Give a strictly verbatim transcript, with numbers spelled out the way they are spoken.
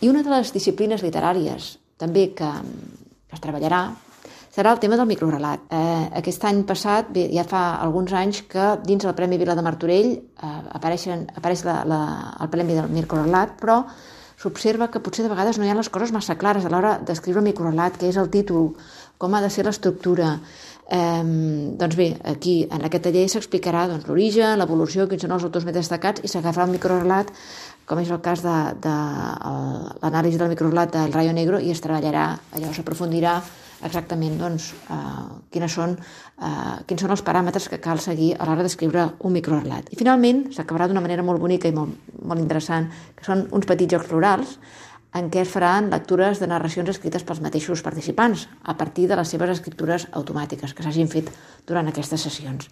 I una de les disciplines literàries també que, que es treballarà serà el tema del microrelat. Eh, aquest any passat, bé, ja fa alguns anys que dins del Premi Vila de Martorell eh, apareixen, apareix la, la, el Premi del microrelat, però s'observa que potser de vegades no hi ha les coses massa clares a l'hora d'escriure un microrelat, què és el títol, com ha de ser l'estructura. Eh, doncs bé, aquí en aquest taller s'explicarà doncs, l'origen, l'evolució, quins són els autors més destacats i s'agafarà el microrelat, com és el cas de, de l'anàlisi del microrelat del Rayo Negro, i es treballarà, allò s'aprofundirà exactament doncs, eh, quines són, eh, quins són els paràmetres que cal seguir a l'hora d'escriure un microrelat. I finalment s'acabarà d'una manera molt bonica i molt, molt interessant, que són uns petits jocs florals en què es faran lectures de narracions escrites pels mateixos participants a partir de les seves escriptures automàtiques que s'hagin fet durant aquestes sessions.